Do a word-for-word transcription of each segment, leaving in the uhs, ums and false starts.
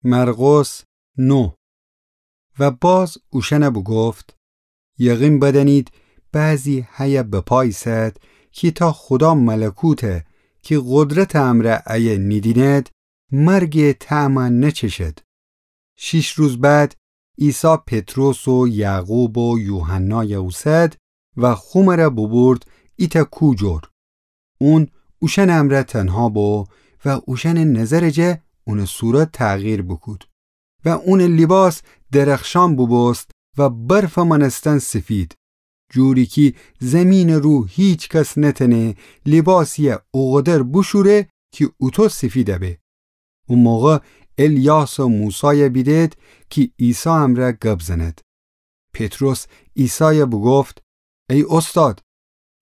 مرقس نه. و باز اوشأن بوگفت: یقین بدأنید، بعضی هیه بپا ایسد کی تا خودا ملکوت کی قدرت امرأ ایه نیدیند، مرگٚ طعم نچشد. شیش روز بعد عیسی پطرس و یعقوب و یوحنای اوسد و خومر بوبورد ایتأ کوه جور. اون اوشأنٚ امرأ تنها بو و اوشأنٚ نظرٚ جا اونٚ صورت تغییر بوکود و اونٚ لیباس درخشان بوبوست و برفٚ مأنستن سفید، جوری کی زیمینٚ رو هیکس نتأنه لیباسیی اوقدر بوشوره کی اوطو سفید به. او موقع الیاس و موسای بیدد کی عیسی امرأ گب زند. پطرس عیسای بوگفت: ای اوستاد،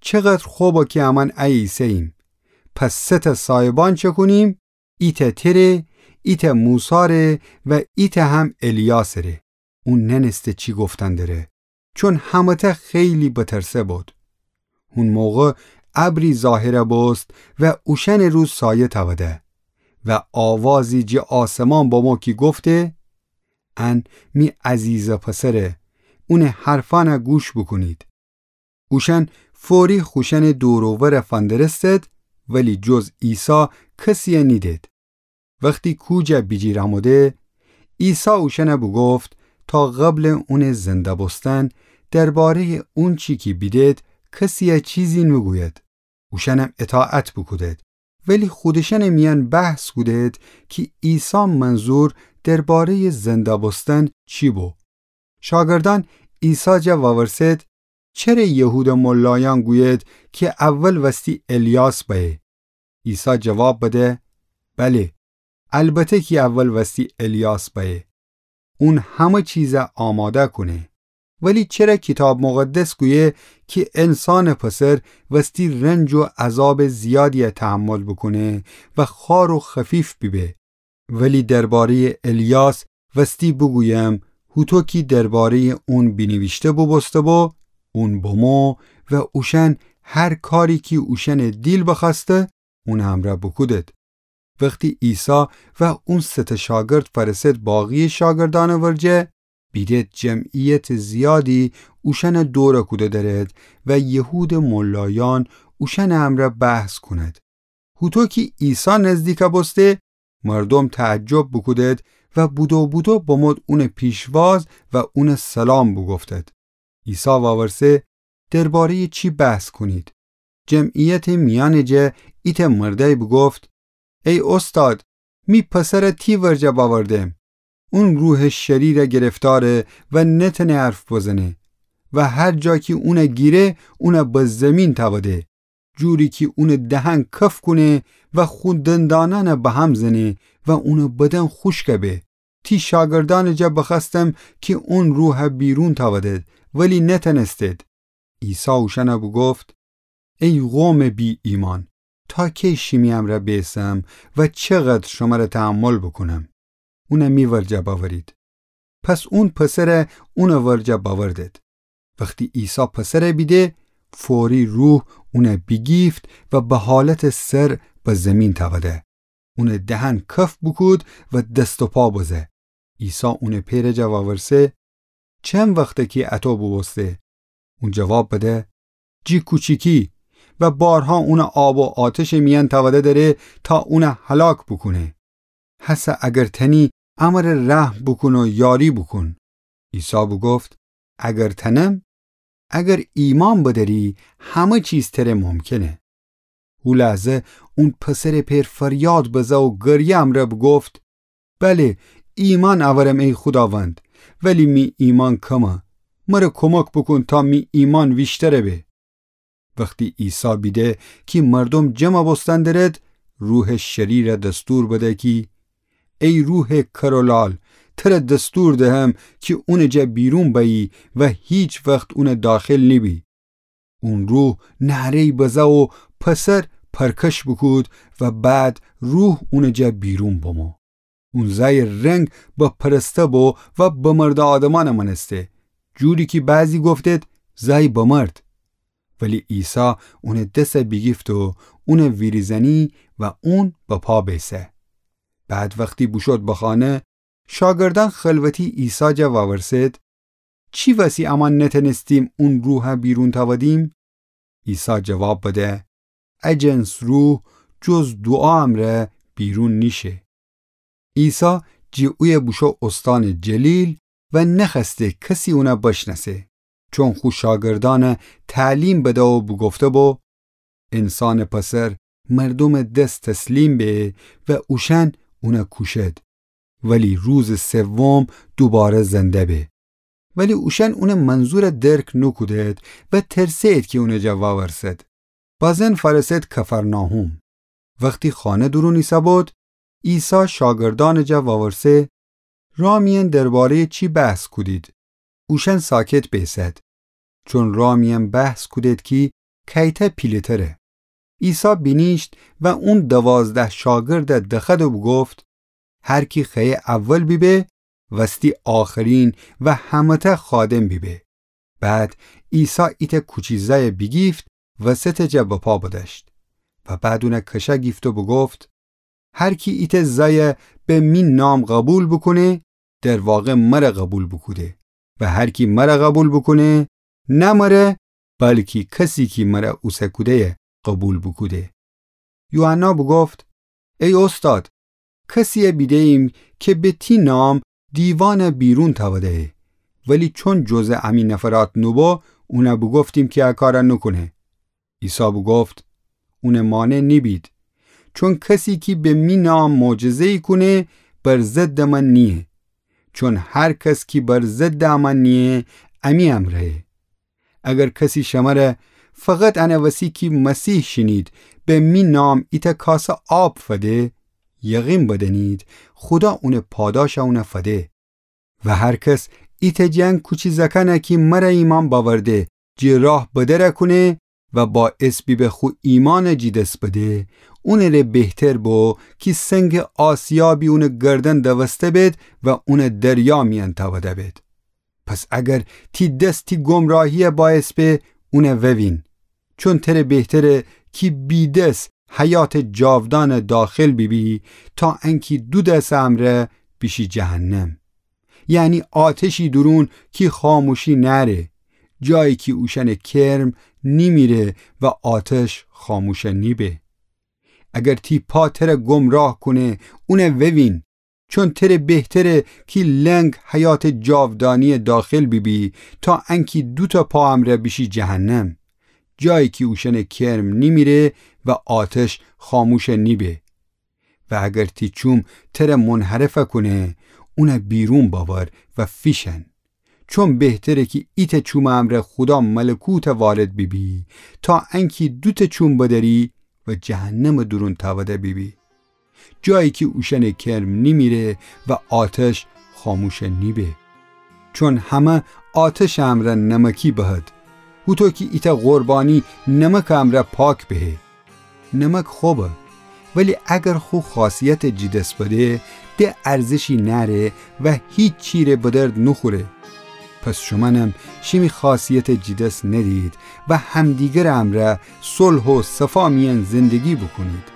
چقدر خب کی امأن ایه ایسه‌ییم. پس سه‌تأ صاحبان چکونیم، ایتأ تره، ایتأ موساره و ایتأ هم الیاسره. اون نأنسته چی گفتن دره، چون همه‌تأ خیلی بترسه بود. هون موقع ابری ظاهر بوست و اوشأنٚ رو سایه تأوده و آوازی جٚه آسمان بمو کی گفته: ان می عزیزٚ پسره، اونٚ حرفأن گوش بوکونید. اوشأن فوری خوشأنٚ دور و ور فندرستد، ولی جز عیسی کسیی نیدد. وختی کوه جا بیجیرأموده، عیسی اوشأن بوگفت تا قبلٚ اونٚ زنده بوستن درباره‌یٚ اونچی کی بیدد کسیی چیزی نوگوید. اوشأنم اطاعت بوکودد، ولی خودشأنٚ میأن بحث کودد کی عیسی منظور درباره‌یٚ زنده بوستن چی بو. شاگردأن عیسی جا وورسد: چره یهودٚ ملایأن گوید کی اول وستی الیاس بأیه؟ عیسی جواب بده: بله، البته کی اول وستی الیاس بأیه. اون همه چیز آماده کونه. ولی چره کیتاب مقدس گویه کی انسانٚ پسر وستی رنج و عذابٚ زیادی تحمل بوکونه و خوار و خفیف بیبه؟ ولی درباره‌یٚ الیاس وستی بوگویم، هوطو کی درباره‌یٚ اون بینیویشته بوبوسته بو، اون بمو و اوشأن هر کاری کی اوشأنٚ دیل بخوأسته، اونٚ امرأ بوکودد. وختی عیسی و اون سه تأ شاگرد فأرسد باقی‌یٚ شاگردأنٚ ورجه، بیدد جمعیتٚ زیادی اوشأن دور کوده درد و یهودٚ ملایأن اوشأنٚ امرأ بحث کونید. هوطو کی عیسی نزدیک بوسته، مردوم تعجب بوکودد و بودو بودو بمود اونٚ پیشواز و اون سلام بوگفتد. عیسی وورسه: درباره‌یٚ چی بحث کونید؟ جمعیتٚ میأنٚ جا ایتأ مردأی بوگفت: ای اوستاد، می پسر تی ورجه بأوردم. اون روحٚ شریر گرفتاره و نتأنه حرف بزنه و هر جا کی اون گیره، اون به زیمین تأوده، جوری کی اونٚ دهن کف کونه و خو دندانأن به هم زنه و اونٚ بدن خوشک به. تی شاگردأنٚ جا بخوأستم کی اون روح بیرون تأودد، ولی نتأنستید. عیسی اوشأن بوگفت: ای قومٚ بی‌ایمأن، تا کی شیمی امرأ بیسم و چقدر شمر تحمل بوکونم؟ اون می ورجه بأورید. پس اون پسر اونٚ ورجه بأوردد. وختی عیسی پسر بیده، فوری روح اون بیگیفت و به حالتٚ سر به زیمین تأوده. اونٚ دهن کف بوکود و دست و پا بزه. عیسی اونٚ پئرٚ جا وورسه: چند وخته کی اطو بوبوسته؟ اون جواب بده: جی کوچیکی، و بارها اون آب و آتشٚ میأن تأوده دأره تا اون هلاک بوکونه. هسه اگر تأنی، امر رحم بوکون و یاری بوکون. عیسی بوگفت: اگر تأنم؟ اگر ایمأن بدأری، همه چیز تره ممکنه. هو لحظه اون پسرٚ پئر فریاد بزه و گریه امرأ بوگفت: بله، ایمأن اورم ای خوداوند، ولی می ایمأن کمه. مر کمک بوکون تا می ایمأن ویشتر به. وختی عیسی بیده کی مردوم جمع بوستن درد، روحٚ شریر دستور بده کی: ای روحٚ کر و لال، تر دستور دهم کی اونٚ جا بیرون بأیی و هیچ وخت اونٚ داخل نیبی. اون روح نعره‌ی بزه و پسر پرکش بوکود و بعد روح اونٚ جا بیرون بمو. اون زأی رنگ بپرسته بو و بمرده آدمأن مأنسته، جوری کی بعضی گفتید: زأی بمرد. ولی عیسی اونٚ دس بیگیفت و اون ویریزأنی و اون به پا بیسه. بعد وختی بوشود به خانه، شاگردأن خلوتی عیسی جا وورسد: چی وسی امأن نتأنستیم اون روحَ بیرون تأودیم؟ عیسی جواب بده: ا جنس روح جز دوعا امرأ بیرون نیشه. عیسی جٚه اویه بوشو اوستانٚ جلیل و نخوأسته کسی اونَ بشنأسه، چون خو شاگردأنَ تعلیم بده و بوگفته بو: انسانٚ پسر مردومٚ دس تسلیم به و اوشأن اونَ کوشد، ولی روزٚ سوم دوباره زنده به. ولی اوشأن اونٚ منظورَ درک نوکودد و ترسه‌ید کی اونٚ جا وورسد. بازن فأرسد کفرناحوم. وختی خانه دورون ایسه‌بود، عیسی شاگردأنٚ جا وورسه: رأ میأن درباره‌یٚ چی بحث کودید؟ اوشأن ساکت بیسد، چون رأ میأن بحث کودد کی کأیتأ پیله‌تره. عیسی بینیشت و اون دوازده شاگردَ دخوأد و بوگفت: هر کی خوأیه اول بیبه، وستی آخرین و همه‌تأ خادم بیبه. بعد عیسی ایتأ کوچی زأیَ بیگیفت، وسطٚ جا بپا بدأشت و بعد اونَ کشأ گیفت و بوگفت: هر کی ایتأ زأیَ به می نام قوبیل بوکونه، در واقع مرَ قوبیل بوکوده، و هر کی مرَ قوبیل بوکونه، نه مرَ، بلکی کسی کی مرَ اوسه کوده‌یَ قوبیل بوکوده. یوحنا بوگفت: ای اوستاد، کسی‌یَ بیده‌ییم کی به تی نام دیوانَ بیرون تأوده‌یه، ولی چون جزء امی نفرات نوبو، اونَ بوگفتیم کی ا کارَ نوکونه. عیسی بوگفت: اونٚ مانع نیبید، چون کسی کی به می نام معجزه‌یی کونه، بر ضدٚ من نییه، چون هر کس کی بر ضدٚ امأن نییه، امی امرأیه. اگر کسی شمرَ فقط انه وسی کی مسیح شینید، به می نام ایتأ کاسه آب فده، یقین بدأنید خودا اونٚ پاداشَ اونَ فده. و هر کس ایتأ جنگ کوچی زأکأنَ کی مرَ ایمأن بأورده، جٚه راه بدرَ کونه و باعث بیبه خو ایمأنَ جیدس بده، اونٚره بهتر بو کی سنگٚ آسیابی اونٚ گردن دوسته بید و اونَ دریا میأن تأوده بید. پس اگر تی دس تی گمراهی‌یَ باعث به، اونَ ووین. چون تره بهتره کی بی دس حیاتٚ جاودانٚ داخل بیبی، تا انکی دو دسٚ امرأ بیشی جهنم. یعنی آتشی دورون کی خاموشی نأره، جایی کی اوشأنٚ کرم نیمیره و آتش خاموشَ نیبه. اگر تی پا تره گمراه کونه، اونَ ووین. چون تره بهتره کی لنگ حیاتٚ جاودانی‌یَ داخل بیبی، تا انکی دوتأ پا امرأ بیشی جهنم، جایی کی اوشأنٚ کرم نیمیره و آتش خاموشَ نیبه. و اگر تی چوم تره منحرفَ کونه، اونَ بیرون بأور و فیشن. چون بهتره کی ایتأ چومٚ امرأ خودا ملکوتَ وارد بیبی، تا انکی دوتأ چوم بدأری و جهنمٚ دورون تأوده بیبی، جایی کی اوشأنٚ کرم نیمیره و آتش خاموشَ نیبه. چون همه آتشٚ امرأ نمکی بهد، هوطو کی ایتأ قربانی نمکٚ امرأ پاک بهه. نمک خبه، ولی اگر خو خاصیتَ جیدس بده، ده ارزشی نأره و هیچی ره به درد نوخوره. پس شومأنم شیمی خاصیتَ جیدس ندید و همدیگرٚ امرأ صلح و صفا میأن زندگی بوکونید.